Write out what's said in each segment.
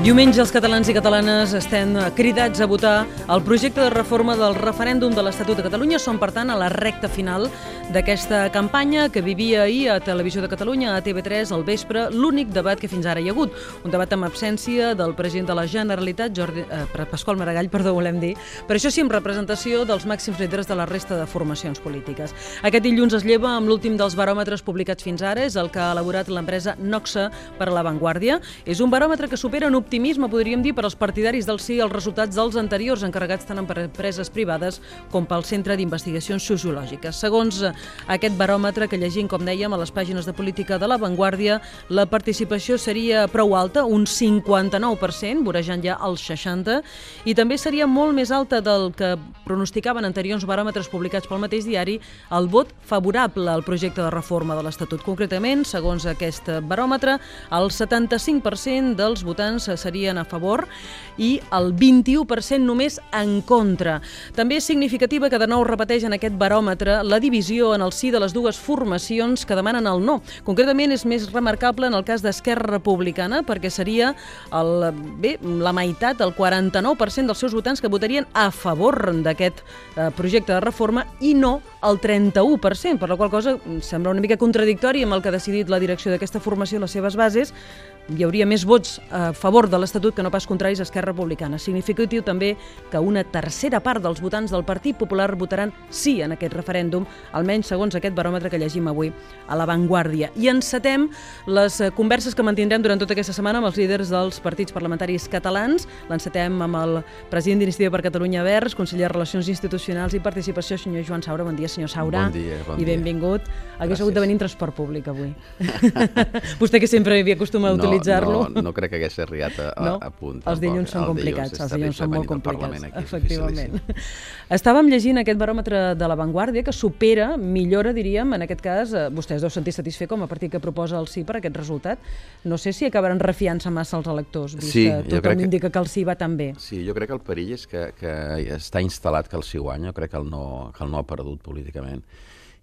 Diumenge els catalans i catalanes estem cridats a votar el projecte de reforma del referèndum de l'Estatut de Catalunya. Som, per tant, a la recta final d'aquesta campanya que vivia ahir a Televisió de Catalunya, a TV3, al vespre, l'únic debat que fins ara hi ha hagut. Un debat amb absència del president de la Generalitat, Pasqual Maragall, volem dir, però això sí, amb representació dels màxims líders de la resta de formacions polítiques. Aquest dilluns es lleva amb l'últim dels baròmetres publicats fins ara, és el que ha elaborat l'empresa Noxa per a La Vanguardia. És un baròmetre que supera en optimisme, podríem dir, per als partidaris del sí els resultats dels anteriors, encarregats tant per empreses privades com pel Centre d'Investigacions Sociològiques. Segons aquest baròmetre que llegim, com dèiem, a les pàgines de política de La Vanguardia, la participació seria prou alta, un 59%, vorejant ja el 60%, i també seria molt més alta del que pronosticaven anteriors baròmetres publicats pel mateix diari, el vot favorable al projecte de reforma de l'Estatut. Concretament, segons aquest baròmetre, el 75% dels votants serien a favor i el 21% només en contra. També és significativa que de nou repeteix en aquest baròmetre la divisió en el sí de les dues formacions que demanen el no. Concretament és més remarcable en el cas d'Esquerra Republicana, perquè seria la meitat, el 49% dels seus votants que votarien a favor d'aquest projecte de reforma i no el 31%, per la qual cosa sembla una mica contradictori amb el que ha decidit la direcció d'aquesta formació, les seves bases. Hi hauria més vots a favor de l'Estatut que no pas contraris a Esquerra Republicana. Significatiu també que una tercera part dels votants del Partit Popular votaran sí en aquest referèndum, almenys segons aquest baròmetre que llegim avui a La Vanguardia. I encetem les converses que mantindrem durant tota aquesta setmana amb els líders dels partits parlamentaris catalans. L'encetem amb el president d'Iniciativa per Catalunya Verds, conseller de Relacions Institucionals i Participació, senyor Joan Saura. Bon dia, senyor Saura. Bon dia. I benvingut. Hagués hagut de venir en transport públic avui. Vostè que sempre havia acostumat a utilitzar. No crec que hagués arribat a punt. Els dilluns són complicats, els dilluns són molt complicats, efectivament. Estàvem llegint aquest baròmetre de La Vanguardia que supera, millora, diríem, en aquest cas, vostè es deu sentir satisfet com a partit que proposa el sí per aquest resultat. No sé si acabaran refiant-se massa els electors, vist que tothom indica que el sí va tan bé. Sí, jo crec que el perill és que està instal·lat que el sí guanya, jo crec que el no ha perdut políticament.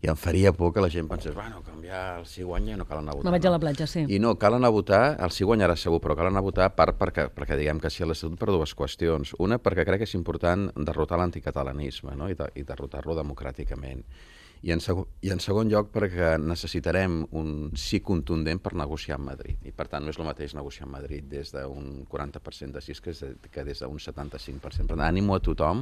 I em faria por que la gent pensés, bueno, canviar el sí guanya i no cal anar a votar. Me vaig a la platja, sí. I no, cal anar a votar, el sí guanyarà segur, però cal anar a votar perquè diguem que sí a l'Estatut per dues qüestions. Una, perquè crec que és important derrotar l'anticatalanisme, no? I derrotar-lo democràticament. I en segon lloc, perquè necessitarem un sí contundent per negociar amb Madrid. I per tant no és el mateix negociar amb Madrid des d'un 40% de sí que des d'un 75%. Per tant, ànimo a tothom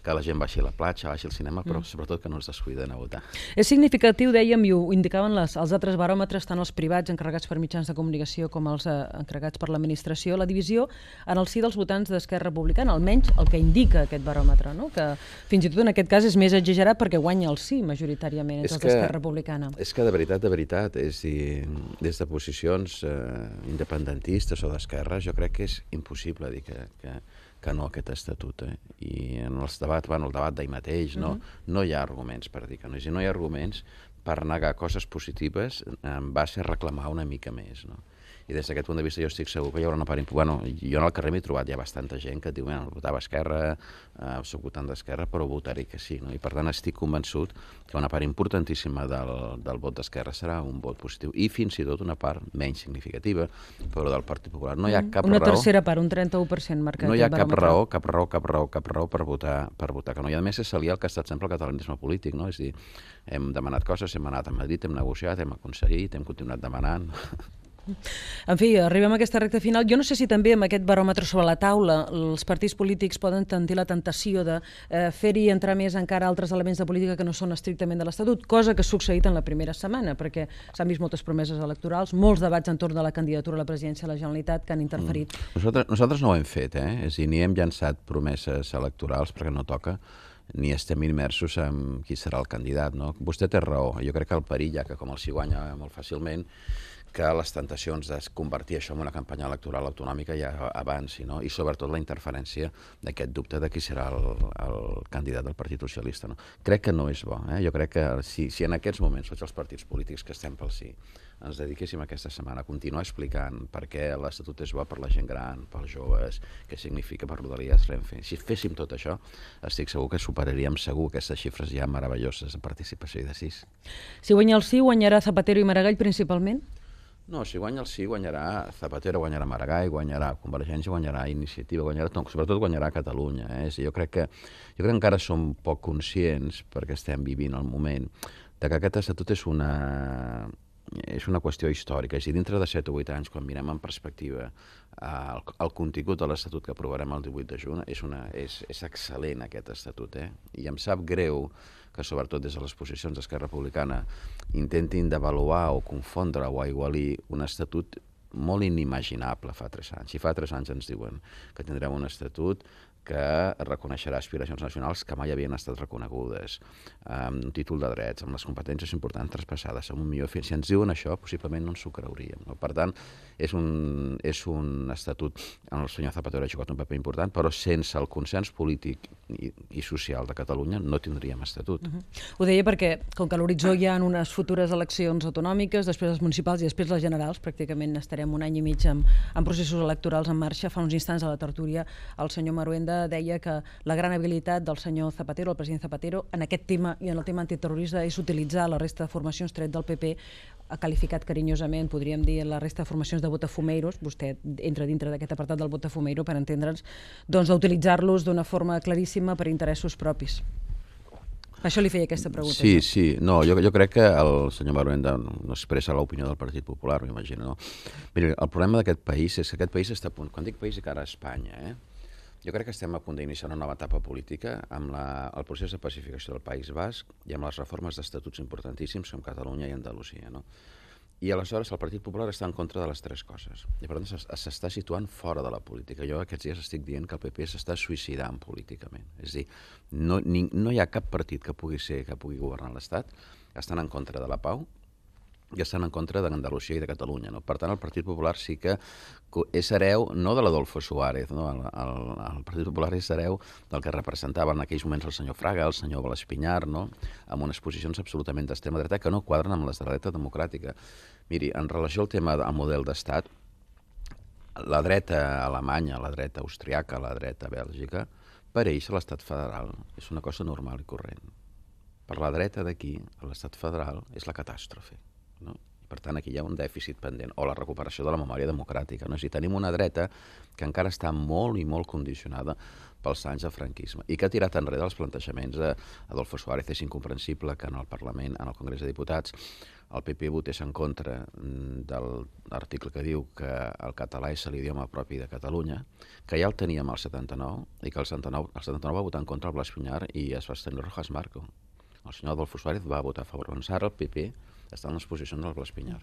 que la gent baixi a la platja, baixi al cinema, però sobretot que no es descuiden a votar. És significatiu, dèiem, i ho indicaven els altres baròmetres, tant els privats encarregats per mitjans de comunicació com els encarregats per l'administració, la divisió en el sí dels votants d'Esquerra Republicana, almenys el que indica aquest baròmetre, no? Que fins i tot en aquest cas és més exagerat perquè guanya el sí majoritàriament entre els d'Esquerra Republicana. És que de veritat, és dir, des de posicions independentistes o d'esquerres, jo crec que és impossible dir que no a aquest estatut. I en els debats, el debat d'ahir mateix, no hi ha arguments per dir que no. No hi ha arguments per negar coses positives en base a reclamar una mica més, no? I des d'aquest punt de vista jo estic segur que hi haurà una part important. Jo en el carrer m'he trobat ja bastanta gent que et diu, votava Esquerra, soc votant d'Esquerra, però votaré que sí. I per tant estic convençut que una part importantíssima del vot d'Esquerra serà un vot positiu. I fins i tot una part menys significativa, però del Partit Popular. No hi ha cap raó... Una tercera part, un 31% marcat. No hi ha cap raó per votar que no. I a més és aliar el que ha estat sempre el catalanisme polític, no? És a dir, hem demanat coses, hem anat a Madrid, hem negociat, hem aconseguit, hem continuat demanant... En fi, arribem a aquesta recta final. Jo no sé si també amb aquest baròmetre sobre la taula els partits polítics poden tenir la tentació de fer-hi entrar més encara altres elements de política que no són estrictament de l'Estatut, cosa que ha succeït en la primera setmana, perquè s'han vist moltes promeses electorals, molts debats entorn de la candidatura a la presidència de la Generalitat que han interferit. Nosaltres no ho hem fet, és a dir, ni hem llançat promeses electorals perquè no toca, ni estem immersos en qui serà el candidat, no? Vostè té raó, jo crec que el perill, ja que com el sí guanya molt fàcilment, que les tentacions de convertir això en una campanya electoral autonòmica ja avanci, no? I sobretot la interferència d'aquest dubte de qui serà el candidat del Partit Socialista, no? Crec que no és bo. Jo crec que si en aquests moments tots els partits polítics que estem pel sí ens dediquéssim aquesta setmana a continuar explicant per què l'Estatut és bo per la gent gran, pels joves, què significa per Rodalies, Renfe. Si féssim tot això, estic segur que superaríem segur aquestes xifres ja meravelloses de participació i de sis. Si guanya el sí, guanyarà Zapatero i Maragall principalment? No, si guanya el sí, guanyarà Zapatero, guanyarà Maragall, guanyarà Convergència, guanyarà Iniciativa, guanyarà, no, sobretot guanyarà Catalunya. Jo crec que encara som poc conscients, perquè estem vivint el moment, de que aquest estatut és una qüestió històrica. És a dir, dintre de 7 o 8 anys, quan mirem en perspectiva el contingut de l'Estatut que aprovarem el 18 de juny, és excel·lent aquest Estatut. I em sap greu que, sobretot des de les posicions d'Esquerra Republicana, intentin devaluar o confondre o aigualir un Estatut molt inimaginable fa 3 anys. I fa 3 anys ens diuen que tindrem un Estatut que reconeixerà aspiracions nacionals que mai havien estat reconegudes, amb un títol de drets, amb les competències importants traspassades, amb un millor fi. Si ens diuen això, possiblement no ens ho creuríem. No? Per tant, és un estatut on el senyor Zapatero ha jugat un paper important, però sense el consens polític i social de Catalunya no tindríem estatut. Ho deia perquè, com que a l'horitzó hi ha unes futures eleccions autonòmiques, després les municipals i després les generals, pràcticament estarem un any i mig amb processos electorals en marxa. Fa uns instants a la tertúlia el senyor Maruenda deia que la gran habilitat del senyor Zapatero, el president Zapatero, en aquest tema i en el tema antiterrorista és utilitzar la resta de formacions tret del PP, ha qualificat carinyosament, podríem dir, la resta de formacions de botafumeiros, vostè entra dintre d'aquest apartat del botafumeiro per entendre'ns, doncs d'utilitzar-los d'una forma claríssima per interessos propis. Per això li feia aquesta pregunta. Sí. No, jo crec que el senyor Maruenda no expressa l'opinió del Partit Popular, m'imagino. No? Mira, el problema d'aquest país és que aquest país està a punt, quan dic país i cara a Espanya, jo crec que estem a punt d'iniciar una nova etapa política amb el procés de pacificació del País Basc i amb les reformes d'estatuts importantíssims com Catalunya i Andalusia. No? I aleshores el Partit Popular està en contra de les 3 coses. I per tant s'està situant fora de la política. Jo aquests dies estic dient que el PP s'està suïcidant políticament. És a dir, no hi ha cap partit que pugui governar l'Estat. Estan en contra de la pau i estan en contra d'Andalusia i de Catalunya. No? Per tant, el Partit Popular sí que és hereu, no de l'Adolfo Suárez, no? El Partit Popular és hereu del que representava en aquells moments el senyor Fraga, el senyor Espinyar, no? Amb unes posicions absolutament d'extrema dreta que no quadren amb les de la dreta democràtica. Miri, en relació al tema del model d'estat, la dreta alemanya, la dreta austriaca, la dreta bèlgica, per ells l'estat federal és una cosa normal i corrent. Per la dreta d'aquí, l'estat federal és la catàstrofe. No? Per tant, aquí hi ha un dèficit pendent, o la recuperació de la memòria democràtica. No? Si tenim una dreta que encara està molt i molt condicionada pels anys de franquisme i que ha tirat enrere els plantejaments d'Adolfo Suárez. És incomprensible que en el Parlament, en el Congrés de Diputats, el PP votés en contra de l'article que diu que el català és l'idioma propi de Catalunya, que ja el teníem al 79 i que el 79 va votar en contra el Blas Piñar i es va estendre Rojas Marco. El senyor Adolfo Suárez va votar a favor. Doncs ara el PP està en les posicions del Blas Piñar.